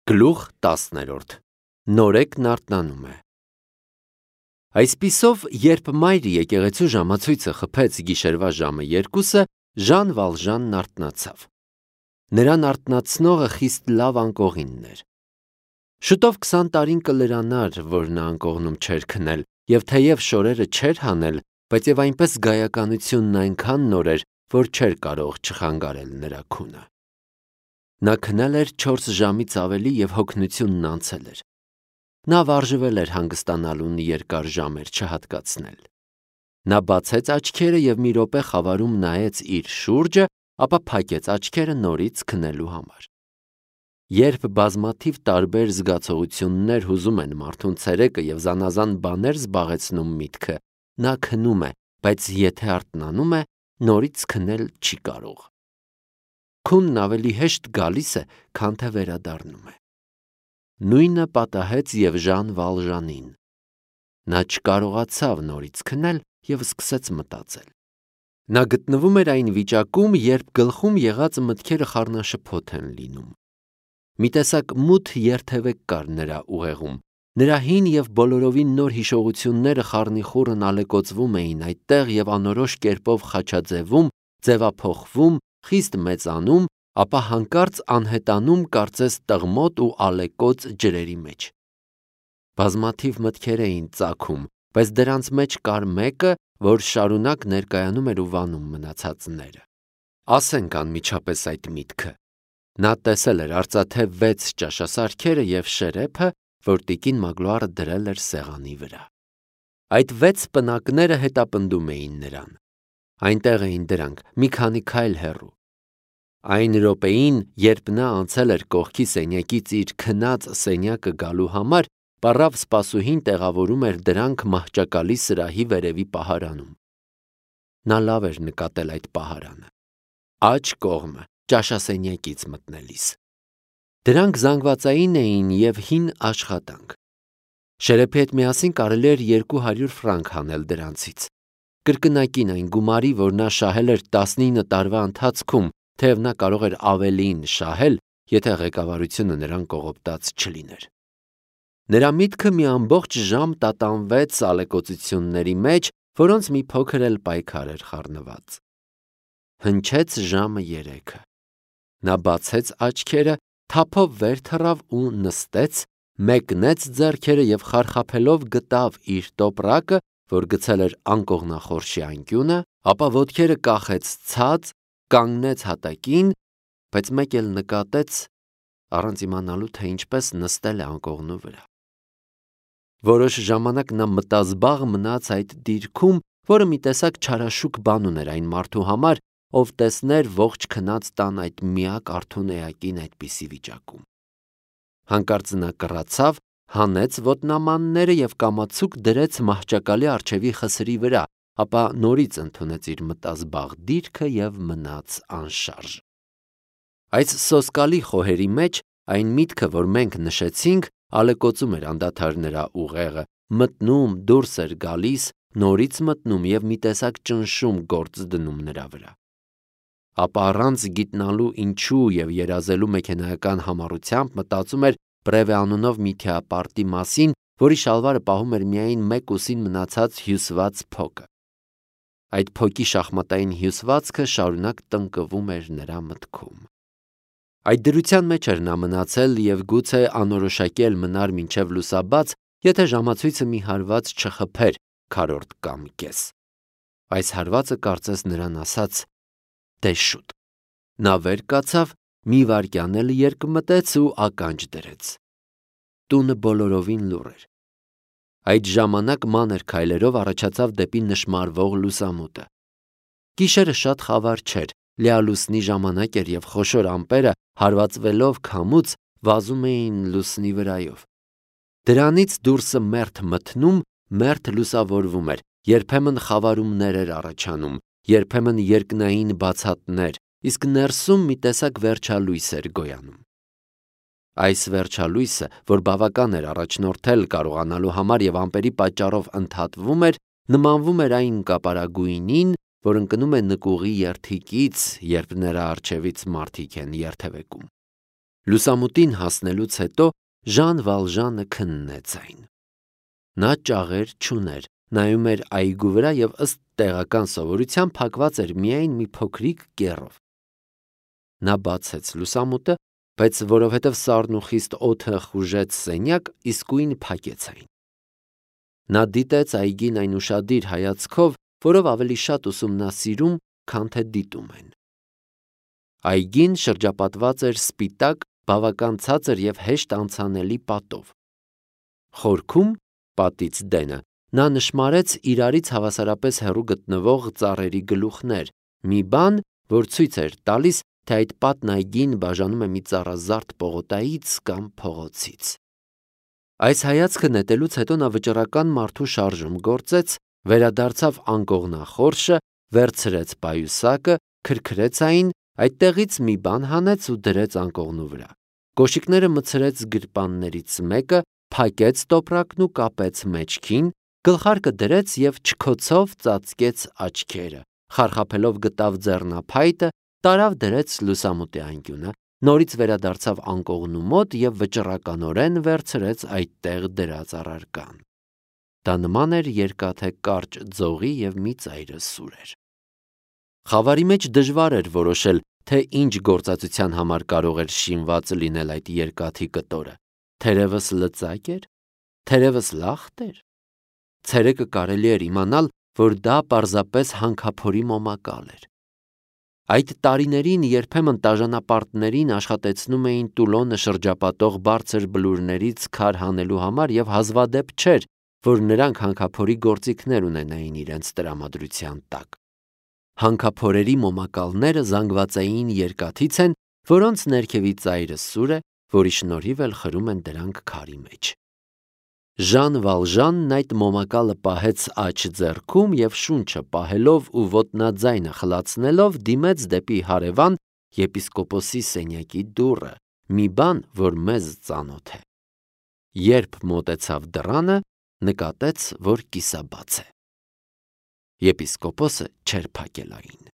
Գլուխ 10 Նորեկն արթնանում է։ Այսպիսով, երբ մայրի եկեղեցու ժամացույցը խփեց գիշերվա ժամը 2, Ժան Վալժանն արթնացավ։ Նրան արթնացնողը խիստ լավ անկողինն էր։ Շուտով 20 տարին կլրանար, որ նա անկողնում չէր քնել, և թեև շորերը չէր հանել, բայց և այնպես գայականությունն այնքան նոր էր, որ չէր կարող չխանգարել նրա քունը։ Նա քնել էր 4 ժամից ավելի և հոգնությունն անցել էր։ Նա վարժվել էր հանգստանալուն երկար ժամեր չհատկացնել։ Նա բացեց աչքերը և մի րոպե խավարում նայեց իր շուրջը, ապա փակեց աչքերը նորից քնելու համար։ Երբ բազմաթիվ տարբեր զգացողություններ հուզում են մարդուն ցերեկը և զանազան բաներ զբաղեցնում միտքը, նա քնում է, բայց եթե արթնանում է, նորից քնել չի կարող։ Քունն ավելի հեշտ գալիս է, քան թե վերադառնում է։ Նույնը պատահեց և Ժան Վալժանին։ Նա չկարողացավ նորից քնել և սկսեց մտածել։ Նա գտնվում էր այն վիճակում, երբ գլխում եղած մտքերը խառնաշփոթ են լինում։ Մի տեսակ մութ երթևեկ կար նրա ուղեղում։ Նրա հին և բոլորովին նոր հիշողությունները խառնիխուռն ալեկոծվում էին այդտեղ և անորոշ կերպով խաչաձևում, ձևափոխվում, խիստ մեծանում, ապա հանկարծ անհետանում կարծես տղմոտ ու ալեկոծ ջրերի մեջ։ Բազմաթիվ մտքեր էին ծագում, բայց դրանց մեջ կար մեկը, որ շարունակ ներկայանում էր ու վանում մնացածները։ Ասենք անմիջապես այդ միտքը։ Նա տեսել էր արծաթե 6 ճաշասարքերը և շերեփը, որ տիկին Մագլոարը դրել էր սեղանի վրա։ Այդ 6 պնակները հետապնդում էին նրան։ Այնտեղ էին դրանք, մի քանի քայլ հեռու։ Այն րոպեին, երբ նա անցել էր կողքի սենյակից իր քնած սենյակը գալու համար, պառավ սպասուհին տեղավորում էր դրանք մահճակալի սրահի վերևի պահարանում։ Նա լավ էր նկատել այդ պահարանը։ Աջ կողմը ճաշասենյակից մտնելիս։ Դրանք զանգվածային էին և հին աշխատանք։ Շերեփի հետ միասին կարելի էր 200 ֆրանկ հանել դրանցից։ Կրկնակին այն գումարի, որ նա շահել էր 19 տարվա ընթացքում, թեև նա կարող էր ավելին շահել, եթե ղեկավարությունը նրան կողոպտած չլիներ։ Նրա միտքը մի ամբողջ ժամ տատանվեց ալեկոծությունների մեջ, որոնց մի փոքր էլ պայքար էր խառնված։ Հնչեց ժամը 3։ Նա բացեց աչքերը, թափով վեր թռավ ու նստեց, մեկնեց ձեռքերը և խարխափելով գտավ իր տոպրակը, որ գցել էր անկողնախորշի անկյունը, ապա ոտքերը կախեց ցած, կանգնեց հատակին, բայց մեկ էլ նկատեց, առանց իմանալու, թե ինչպես նստել է անկողնու վրա։ Որոշ ժամանակ նա մտազբաղ մնաց այդ դիրքում, որը մի տեսակ չարաշուք բան ուներ այն մարդու համար, ով տեսներ ողջ քնած տան այդ միակ արթուն էակին այդպիսի վիճակում։ Հանկարծ նա կռացավ, հանեց ոտնամանները և կամացուկ դրեց մահճակալի առջևի խսրի վրա, ապա նորից ընդունեց իր մտազբաղ դիրքը և մնաց անշարժ։ Այս սոսկալի խոհերի մեջ այն միտքը, որ մենք նշեցինք, ալեկոծում էր անդադար նրա ուղեղը, մտնում, դուրս էր գալիս, նորից մտնում և մի տեսակ ճնշում գործ դնում նրա վրա։ Ապա առանց գիտնալու ինչու և երազելու մեքենայական համառությամբ մտածում էր Պրևե անունով մի թեապարտի մասին, որի շալվարը պահում էր միայն մեկ ուսին մնացած հյուսված փոկը։ Այդ փոկի շախմատային հյուսվածքը շարունակ տնկվում էր նրա մտքում։ Այդ դրության մեջ էր նա մնացել և գուցե անորոշակի էլ մնար մինչև լուսաբաց, եթե ժամացույցը մի հարված չխփեր քառորդ կամ կես։ Այս հարվածը կարծես նրան ասաց. «Դե շուտ»։ Նա վեր կացավ, մի վայրկյան էլ երկմտեց ու ականջ դրեց։ Տունը բոլորովին լուռ էր։ Այդ ժամանակ մանր քայլերով առաջացավ դեպի նշմարվող լուսամուտը։ Գիշերը շատ խավար չէր, լիալուսնի ժամանակ էր և խոշոր ամպերը, հարվածվելով քամուց, վազում էին լուսնի վրայով։ Դրանից դուրսը մերթ մթնում, մերթ լուսավորվում էր, երբեմն խավարումներ էր առաջանում, երբեմն երկնային բացատներ, իսկ ներսում մի տեսակ վերջալույս էր գոյանում։ Այս վերջալույսը, որ բավական էր առաջնորդել կարողանալու համար և ամպերի պատճառով ընդհատվում էր, նմանվում էր այն կապարագույնին, որ ընկնում է նկուղի երդիկից, երբ նրա առջևից մարդիկ են երթևեկում։ Լուսամուտին հասնելուց հետո Ժան Վալժանը քննեց այն։ Նա ճաղեր չուներ, նայում էր այգու վրա և ըստ տեղական սովորության փակված էր միայն մի փոքրիկ կեռով։ Նա բացեց լուսամուտը, բայց որովհետև սառն ու խիստ օդը խուժեց սենյակ, իսկույն փակեց այն։ Նա դիտեց այգին այն ուշադիր հայացքով, որով ավելի շատ ուսումնասիրում, քան թե դիտում են։ Այգին շրջապատված էր սպիտակ, բավական ցածր և հեշտ անցանելի պատով։ Խորքում, պատից դենը, նա նշմարեց իրարից հավասարապես հեռու գտնվող ծառերի գլուխներ, մի բան, որ ցույց էր տալիս, թե այդ պատն այգին բաժանում է մի ծառազարդ պողոտայից կամ փողոցից։ Այս հայացքը նետելուց հետո նա վճռական մարդու շարժում գործեց, վերադարձավ անկողնախորշը, վերցրեց պայուսակը, քրքրեց այն, այդտեղից մի բան հանեց ու դրեց անկողնու վրա։ Կոշիկները մտցրեց գրպաններից մեկը, փակեց տոպրակն ու կապեց մեջքին, գլխարկը դրեց և չքոցով ծածկեց աչքերը, խարխափելով գտավ ձեռնափայտը, տարավ դրեց լուսամուտի անկյունը, նորից վերադարձավ անկողնու մոտ և վճռականորեն վերցրեց այդտեղ դրած առարկան։ Դա նման էր երկաթե կարճ ձողի և մի ծայրը սուրեր։ Խավարի մեջ դժվար էր որոշել, թե ինչ գործածության համար կարող էր շինված լինել այդ երկաթի կտորը, թերևս լծակ էր, թերևս լախտ էր։ Ցերեկը կարելի էր իմանալ, որ դա պարզապես հանքափորի մոմակալ էր։ Այդ տարիներին երբեմն տաժանապարտներին աշխատեցնում էին Տուլոնը շրջապատող բարձր բլուրներից քար հանելու համար և հազվադեպ չէր, որ նրանք հանքափորի գործիքներ ունենային իրենց տրամադրության տակ։ Հանքափորերի մոմակալները զանգվածային երկաթից են, որոնց ներքևի ծայրը սուր է, որի շնորհիվ էլ խրում են դրանք քարի մեջ։ Ժան Վալժանն այդ մոմակալը պահեց աջ ձեռքում և շունչը պահելով ու ոտնաձայնը խլացնելով դիմեց դեպի հարևան եպիսկոպոսի սենյակի դուռը, մի բան, որ մեզ ծանոթ է։ Երբ մոտեցավ դռանը, նկատեց, որ կիսաբաց է։ Եպիսկոպոսը չէր փակել այն։